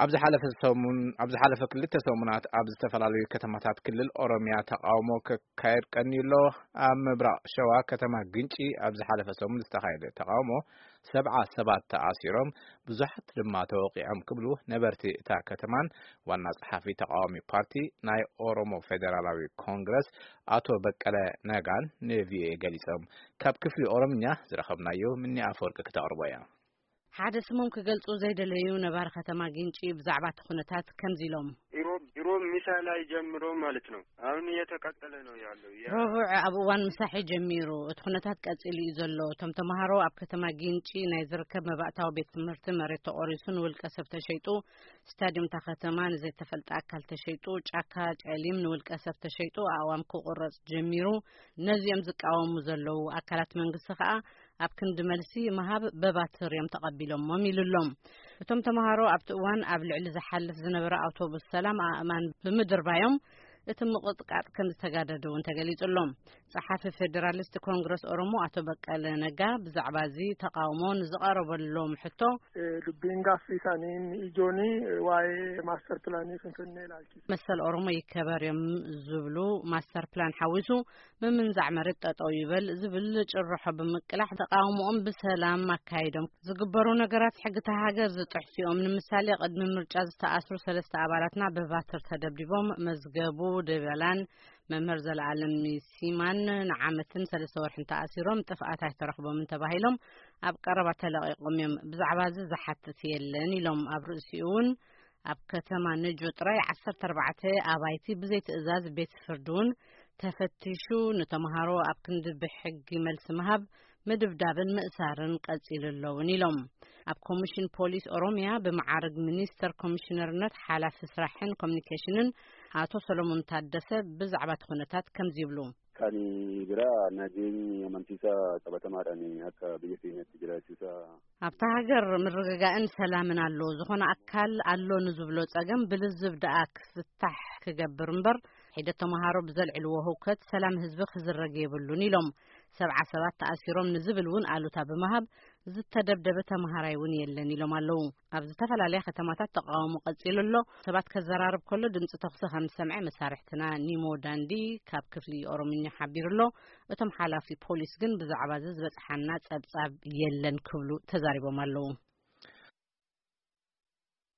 ኣብ ዝሓለፈ ሰሙን፣ ኣብ ዝሓለፈ ክልተ ሰሙናት ኣብ ዝተፈላለዩ ከተማታት ክልል ኦሮሚያ ተቃውሞ ክካየድ ቀንዩ ኣሎ። ኣብ ምብራቕ ሸዋ ከተማ ግንጪ ኣብ ዝሓለፈ ሰሙን ዝተኻየደ ተቃውሞ ሰብዓ ሰባት ተኣሲሮም፣ ብዙሓት ድማ ተወቂዖም ክብሉ ነበርቲ እታ ከተማን ዋና ጸሓፊ ተቃዋሚ ፓርቲ ናይ ኦሮሞ ፌደራላዊ ኮንግረስ ኣቶ በቀለ ነጋን ንቪኦኤ ገሊጾም። ካብ ክፍሊ ኦሮምኛ ዝረኸብናዮ ምኒ ኣፈወርቂ ክተቕርቦ እያ። ሓደ ስሞም ክገልጹ ዘይደለዩ ነባሪ ከተማ ግንጪ ብዛዕባ እቲ ኩነታት ከምዚ ኢሎም። ድሮ፣ ድሮ ምሳ ላይ ጀምሮ ማለት ነው። አሁን እየተቀጠለ ነው ያለው። ያ ረቡዕ ኣብ እዋን ምሳሕ ጀሚሩ እቲ ኩነታት ቀጺሉ እዩ ዘሎ። እቶም ተምሃሮ ኣብ ከተማ ግንጪ ናይ ዝርከብ መባእታዊ ቤት ትምህርቲ መሬት ተቖሪሱ ንውልቀ ሰብ ተሸይጡ፣ ስታዲየም እታ ከተማ ንዘይተፈልጠ ኣካል ተሸይጡ፣ ጫካ ጨሊም ንውልቀ ሰብ ተሸይጡ፣ ኣእዋም ክቑረጽ ጀሚሩ። ነዚኦም ዝቃወሙ ዘለዉ ኣካላት መንግስቲ ከኣ ኣብ ክንዲ መልሲ ምሃብ በባትር እዮም ተቐቢሎሞም ኢሉ ኣሎ። እቶም ተምሃሮ ኣብቲ እዋን ኣብ ልዕሊ ዝሓልፍ ዝነበረ ኣውቶቡስ ሰላም ኣእማን ብምድርባዮም እቲ ምቕጥቃጥ ከም ዝተጋደዱ እውን ተገሊጹ ኣሎ። ጸሓፊ ፌዴራሊስት ኮንግረስ ኦሮሞ ኣቶ በቀለ ነጋ ብዛዕባ እዚ ተቃውሞ ንዝቐረበሎም ሕቶ፣ Eh, dubbiin gaaffii isaanii inni ijoon, eh, waa'ee master plan Finfinnee ilaalchise. መሰል ኦሮሞ ይከበር እዮም ዝብሉ ማስተር ፕላን ሓዊሱ ምምንዛዕ መሬት ጠጠው ይበል ዝብል ጭርሖ ብምቅላሕ ተቃውሞኦም ብሰላም ኣካይዶም። ዝግበሩ ነገራት ሕግታ ሃገር ዝጥሕሱ እዮም። ንምሳሌ ቅድሚ ምርጫ ዝተኣስሩ ሰለስተ ኣባላትና ብባትር ተደብዲቦም መዝገቡ ደበላን መምህር ዘለኣለም ሲማን ንዓመትን ሰለስተ ወርሕን ተኣሲሮም ጥፍኣት ኣይተረኽቦምን ተባሂሎም ኣብ ቀረባ ተለቒቖም እዮም። ብዛዕባ እዚ ዝሓትት የለን ኢሎም። ኣብ ርእሲኡ እውን ኣብ ከተማ ነጆ ጥራይ ዓሰርተ ኣርባዕተ ኣባይቲ ብዘይ ትእዛዝ ቤት ፍርዲ እውን ተፈቲሹ፣ ንተምሃሮ ኣብ ክንዲ ብሕጊ መልሲ ምሃብ ምድብዳብን ምእሳርን ቀጺሉ ኣለውን ኢሎም። ኣብ ኮሚሽን ፖሊስ ኦሮሚያ ብመዓርግ ሚኒስተር ኮሚሽነርነት ሓላፊ ስራሕን ኮሚኒኬሽንን ኣቶ ሰሎሞን ታደሰ ብዛዕባ እቲ ኩነታት ከምዚ ይብሉ። Kan biraa nageenyi amansiisaa qabatamaadhaan akka biyya keenyatti jiraachuusaa ኣብታ ሃገር ምርግጋእን ሰላምን ኣሎ። ዝኾነ ኣካል ኣሎ ንዝብሎ ጸገም ብልዝብ ደኣ ክፍታሕ ክገብር እምበር፣ ሒደት ተምሃሮ ብዘልዕልዎ ህውከት ሰላም ህዝቢ ክዝረግ የብሉን ኢሎም። ሰብዓ ሰባት ተኣሲሮም ንዝብል እውን ኣሉታ ብምሃብ ዝተደብደበ ተምሃራይ እውን የለን ኢሎም ኣለዉ። ኣብ ዝተፈላለያ ከተማታት ተቃውሞ ቀጺሉ ኣሎ። ሰባት ከዘራርብ ከሎ ድምጺ ተኹሲ ከም ዝሰምዐ መሳርሕትና ኒሞ ዳንዲ ካብ ክፍሊ ኦሮምኛ ሓቢሩ ኣሎ። እቶም ሓላፊ ፖሊስ ግን ብዛዕባ እዚ ዝበጽሓና ጸብጻብ የለን ክብሉ ተዛሪቦም ኣለዉ።